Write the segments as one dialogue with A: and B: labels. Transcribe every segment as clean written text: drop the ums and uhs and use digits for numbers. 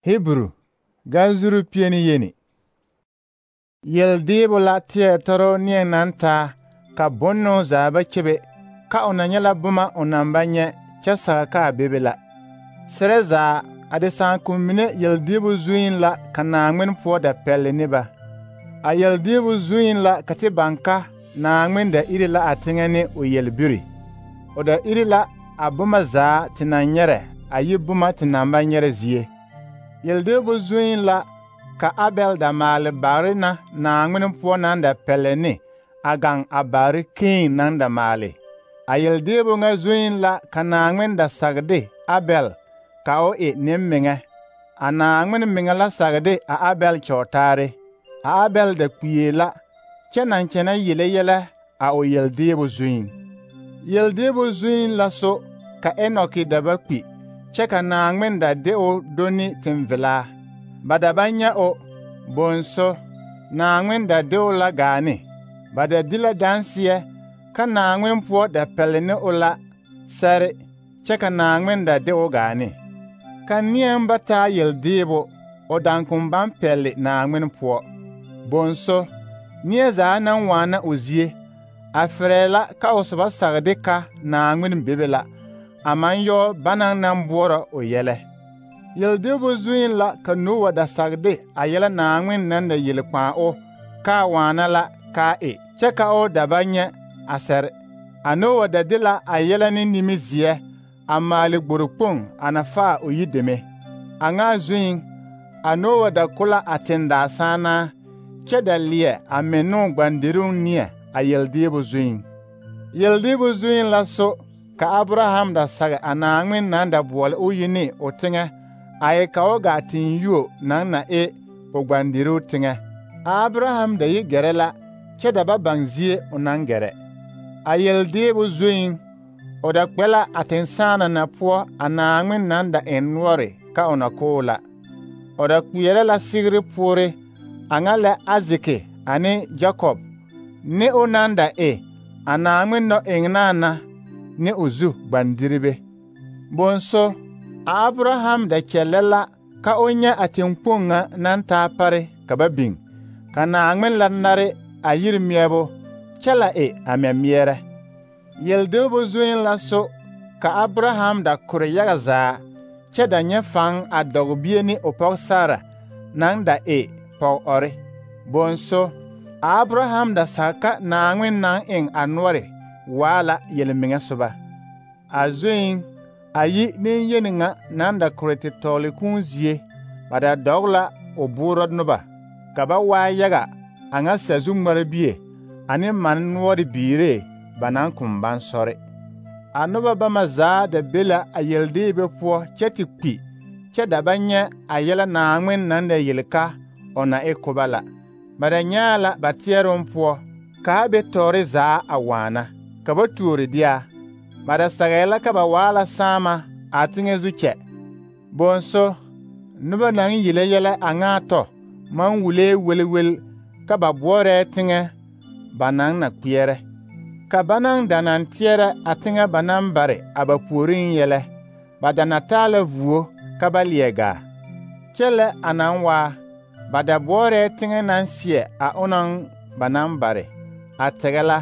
A: Hebrew ganzuru pieni yeni. Yeldeebo la teɛ toro neɛ naŋ taa ka bonno zaa ba kyebe ka o na nyɛ la boma o naŋ ba nyɛ kyɛ sage ka a bebe la. Serɛ zaa a de sããkom mine yeldeebo zuiŋ la ka Naaŋmen poɔ da pɛlle ne ba. A yeldeebo zuiŋ la ka te baŋ ka Naaŋmen da iri la a teŋɛ ne o yelbiri. O da iri la a boma zaa te naŋ nyɛrɛ a yi boma te naŋ ba nyɛrɛ zie. Yeldeebo zuiŋ la ka Abɛl da maale bagre na Naaŋmen poɔ naŋ da pɛlle ne a gaŋ a bagre Keen naŋ da maale. A yeldeebo ŋa zuiŋ la ka Naaŋmen da sage de Abɛl ka o e nemmeŋɛ. A Naaŋmen meŋɛ la sage de a Abɛl kyɔɔtaare. A Abɛl da kpie la kyɛ naŋ kyɛnɛ yele yɛlɛ a o yeldeebo zuiŋ. Yeldeebo zuiŋ la so ka Enoki da ba kpi kyɛ ka Naaŋmen da de o do ne tenvelaa. Ba da ba nyɛ o, bonso Naaŋmen da de o la gaa ne. Ba da di la danseɛ ka Naaŋmen poɔ da pɛlle ne o la sɛre kyɛ ka Naaŋmen da de o gaa ne. Ka neɛŋ ba taa yeldeebo, o daŋkom baŋ pɛlle Naaŋmen poɔ. Bonso, neɛ zaa naŋ waana o zie, a ferɛɛ la ka o soba sage de ka Naaŋmen bebe la, a maŋ yɔɔ banaŋ naŋ boɔrɔ o yɛlɛ. Yeldeebo zuiŋ la ka Noa da sage de a yɛlɛ Naaŋmen naŋ da yele kpãã o kaa waana la kaa e, kyɛ ka o da ba nyɛ a sɛre. A Noa da de la a yɛlɛ ne nimizeɛ a maale gbori kpoŋ a na faa o yideme. A ŋa zuiŋ, a Noa da ko la a tendaa sããnaa kyɛ da leɛ a mennoo gbandiroŋ neɛ a yeldeebo zuiŋ. Yeldeebo zuiŋ la so ka Abraham da sage a Naaŋmen naŋ da boɔle o yi ne o teŋɛ a e ka o gaa teŋyuo naŋ na e o gbandiruu teŋɛ. A Abraham da yi gɛrɛ la kyɛ da ba baŋ zie o naŋ gɛrɛ. A yeldeebo zuiŋ, o da kpɛ la a tensãana na poɔ a Naaŋmen naŋ da eŋ noɔre ka o na ko o la. O da kpeɛrɛ la sigiri poore a ŋa lɛ Azeke ane Jakob ne o naŋ da e a Naaŋmen nɔ-eŋnaa na ne o zu gbandiribe. Bonso, a Abraham da kyɛllɛ la ka o nyɛ a teŋkpoŋ ŋa naŋ taa pare ka ba biŋ, ka Naaŋmen la nare a yiri meɛbo kyɛ la e a mɛmeɛrɛ. Yeldeebo zuiŋ la so ka Abraham da kore yaga zaa kyɛ da nyɛ faŋ a dɔgbie ne o pɔge Sara naŋ da e pɔg-ɔre. Bonso, a Abraham da sage ka Naaŋmen naŋ eŋ a noɔre waa la yelmeŋɛ soba. A zuiŋ, a yi neŋyeni ŋa naŋ da kore te tɔɔle kũũ zie, ba da dɔge la o boorɔ noba, ka ba waa yaga a ŋa sazu ŋmarebie ane mane noɔre biiree ba naŋ kom baŋ sɔre. A noba bama zaa da be la a yeldeebe poɔ kyɛ te kpi kyɛ da ba nyɛ a yɛlɛ Naaŋmen naŋ da yele ka o na e koba la. Ba da nyãã la ba teɛroŋ poɔ ka a be tɔɔre zaa a waana, ka ba tuori de a. Ba da sagɛɛ la ka ba waa la sãama a teŋɛ zu kyɛ. Bonso, noba naŋ yele yɛlɛ a ŋa tɔ maŋ wulee welwel ka ba boɔrɛɛ teŋɛ ba naŋ na kpeɛrɛ. Ka banaŋ da naŋ teɛrɛ a teŋɛ ba naŋ bare a ba puoriŋ yɛlɛ, ba da na taa la vuo ka ba leɛ gaa. Kyɛ lɛ a naŋ waa, ba da boɔrɛɛ teŋɛ naŋ seɛ a onaŋ ba naŋ bare, a tɛgɛ la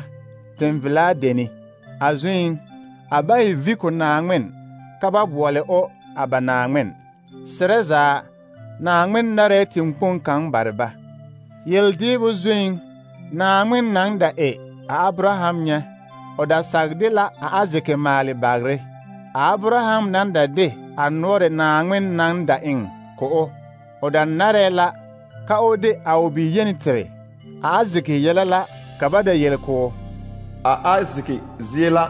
A: tenvelaa deni. A zuiŋ, a ba e vi ko Naaŋmen ka ba boɔle o a ba Naaŋmen. Serɛ zaa, Naaŋmen narɛɛ teŋkpoŋ kaŋ bare ba. Yeldeebo zuiŋ, Naaŋmen naŋ da e a Abraham nyɛ, o da sage de la a Azeke maale bagre. A Abraham naŋ da de a noɔre Naaŋmen naŋ da eŋ ko o da narɛɛ la ka o de a o biyeni tere. A Azeke yɛlɛ la ka ba da yele ko
B: a Azeke zie la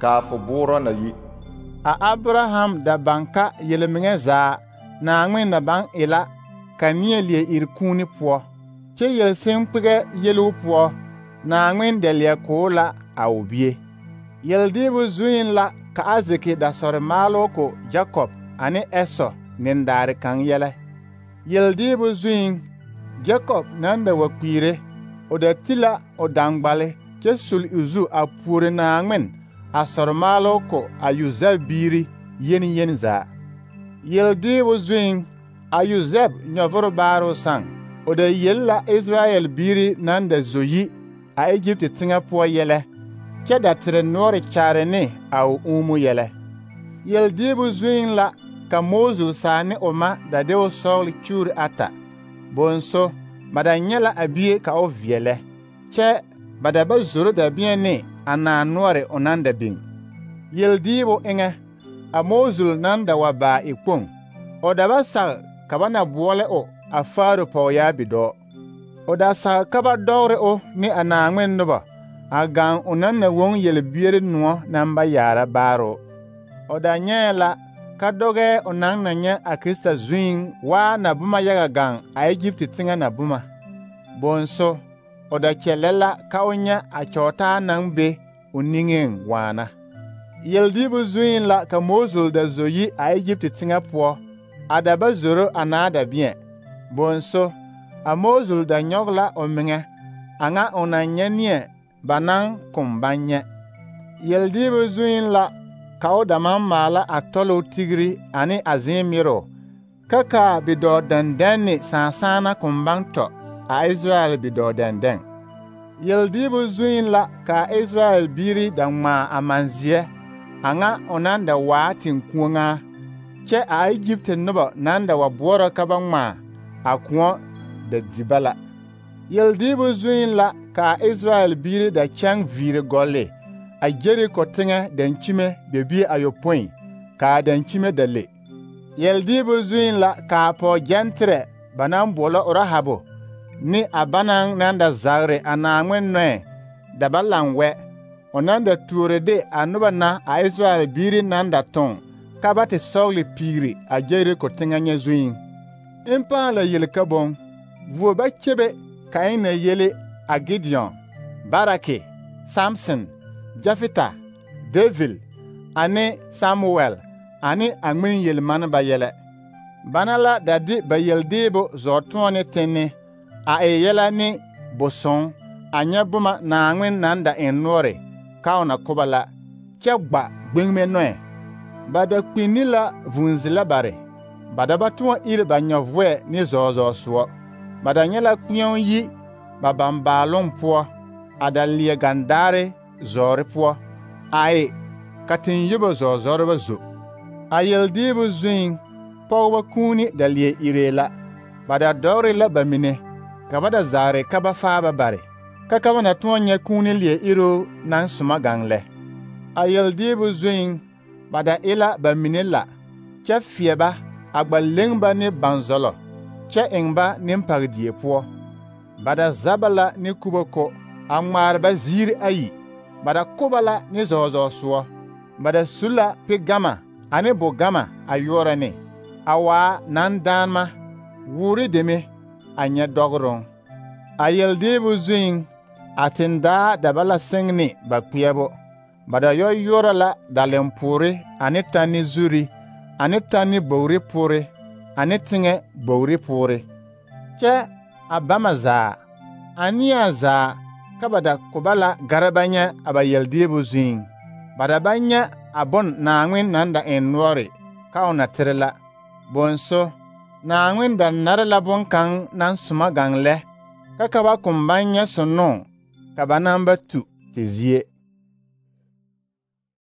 B: kaa fo boorɔ na yi.
A: A Abraham da baŋ ka yelmeŋɛ zaa Naaŋmen na baŋ e la ka neɛ leɛ iri kũuni poɔ, kyɛ yelseŋkpegɛ yeluu poɔ Naaŋmen da leɛ ko la a o bie. Yeldeebo zuiŋ la ka Azeke da sɔre maaloo ko Jakob ane Ɛsɔ nendaare kaŋ yɛlɛ. Yeldeebo zuiŋ, Jakob naŋ da wa kpiire, o da ti la o daŋgbale kyɛ sul o zu a puore Naaŋmen a sɔre maaloo ko a Yosɛf biiri yeni zaa. Yeldeebo zuiŋ, A Yosɛb nyɔvoro baaro sãn, o da yel la Israyɛl biiri naŋ da zo yi a Egypte teŋɛ poɔ yɛlɛ, kyɛ da tere noɔre kyaare ne a o uumu yɛlɛ. Yeldiibu zuiŋ la ka Moosi saa ne o ma da de o sɔgele kyuuri ata. Bonso, ba da nyɛ la a bie ka o veɛlɛ, kyɛ ba da ba zoro dabeɛ ne a naa noɔre o naŋ da biŋ. Yeldiibu eŋɛ, a Moosi naŋ da wa baa e kpoŋ, o da ba sag ka ba na boɔlɛ o a Faaro pɔgyaa bidɔɔ. O da sag ka ba dɔgere o ne a Naaŋmen noba a gaŋ o naŋ na woŋ yelbiere noɔ naŋ ba yaara baaro. O da nyɛɛ la ka dɔgɛɛ o naŋ na nyɛ a Krista zuiŋ waa na boma yaga gaŋ a Egypte teŋɛ na boma. Bonso, o da kyɛllɛ la ka o nyɛ a kyɔɔtaa naŋ be o niŋeŋ waana. Yeldiibu zuiŋ la ka Moosi da zo yi a Egypte teŋɛ poɔ, a da ba zoro a naa dabeɛ. Bonso, a Moosi da nyɔge la o meŋɛ, a ŋa o na nyɛ neɛ ba naŋ kom baŋ nyɛ. Yeldiibu zuiŋ la ka o da maŋ maala a tɔloo tigiri ane a zēēmɩroo, ka kaa bidɔɔ dɛndɛŋ ne sããsãana kom baŋ tɔ a Israyɛl bidɔɔ dɛndɛŋ. Yeldiibu zuiŋ la ka a Israyɛl biiri da ŋmaa a manzeɛ, a ŋa o naŋ da waa teŋkuoŋaa, kyɛ a Egypte noba naŋ da wa boɔrɔ ka ba ŋmaa a kõɔ da di ba la. Yeldiibu zuiŋ la ka a Israyɛl biiri da kyɛŋ viiri gɔlle a Jeriko teŋɛ dankyime bebie ayopõi, ka a dankyime da le. Yeldiibu zuiŋ la ka a pɔɔgyɛnterɛ ba naŋ boɔlɔ Rahabu ne a banaŋ naŋ da zagere a Naaŋmen nɔɛ da ba laŋ wɛ, o naŋ da tuore de a noba na a Israyɛl biiri naŋ da tõɔ ka ba te sɔgele piigri a Jeriko teŋɛ nyɛ zuiŋ. En pãã la yel ka boŋ, vuo ba kyebe ka en na yele a Gideon, Barake, Samson, Jefita, David, ane Samuel, ane a ŋmen yelmaneba yɛlɛ. Bana la da de ba yeldeebo zɔɔtõɔne tenne, a e yɛlɛ ne bosõɔ, a nyɛ boma Naaŋmen naŋ da eŋ noɔre ka o na ko ba la, kyɛ gba gbeŋme nɔɛ. Ba da kpinni la vũu-zelɛ bare, ba da ba tõɔ iri ba nyɔvɔɛ ne zɔɔzɔɔsoɔ. Ba da nyɛ la kpeɛo yi ba bambaaloŋ poɔ, a da leɛ gandaare zɔɔre poɔ, a e ka teŋyobo zɔɔzɔreba zo. A yeldiibu zuiŋ, pɔgeba kuuni da leɛ iree la. Ba da dɔgere la ba mine, ka ba da zagere ka ba faa ba bare, ka ba na tõɔ nyɛ kuuni leɛ iroo naŋ soma gaŋ lɛ. A yeldiibu zuiŋ, ba da e la ba mine la, kyɛ feɛ ba, a gba leŋ ba ne banzɔlɔ, kyɛ eŋ ba nempagdie poɔ. Ba da za ba la ne kuboko, a ŋmaare ba ziiri ayi. Ba da ko ba la ne zɔɔzɔɔsoɔ. Ba da su la pegama ane bogama a yɔɔrɔ ne, a waa nandaanema, woore deme a nyɛ dɔgeroŋ. A yeldiibu zuiŋ, a tendaa da ba la seŋ ne ba kpeɛbo. Ba da yɔ yɔɔrɔ la dalempoore ane tanne zuri, ane tanne bogri poore, ane teŋɛ bogri poore. Kyɛ a bama zaa, a neɛ zaa, ka ba da ko ba la gara ba nyɛ a ba yeldiibu zuiŋ. Ba da ba nyɛ a bon Naaŋmen naŋ da eŋ noɔre ka o na tere la. Bonso, Naaŋmen da nare la boŋkaŋ naŋ soma gaŋ lɛ, ka ba kom baŋ nyɛ sonoo ka ba naŋ ba tu te zie.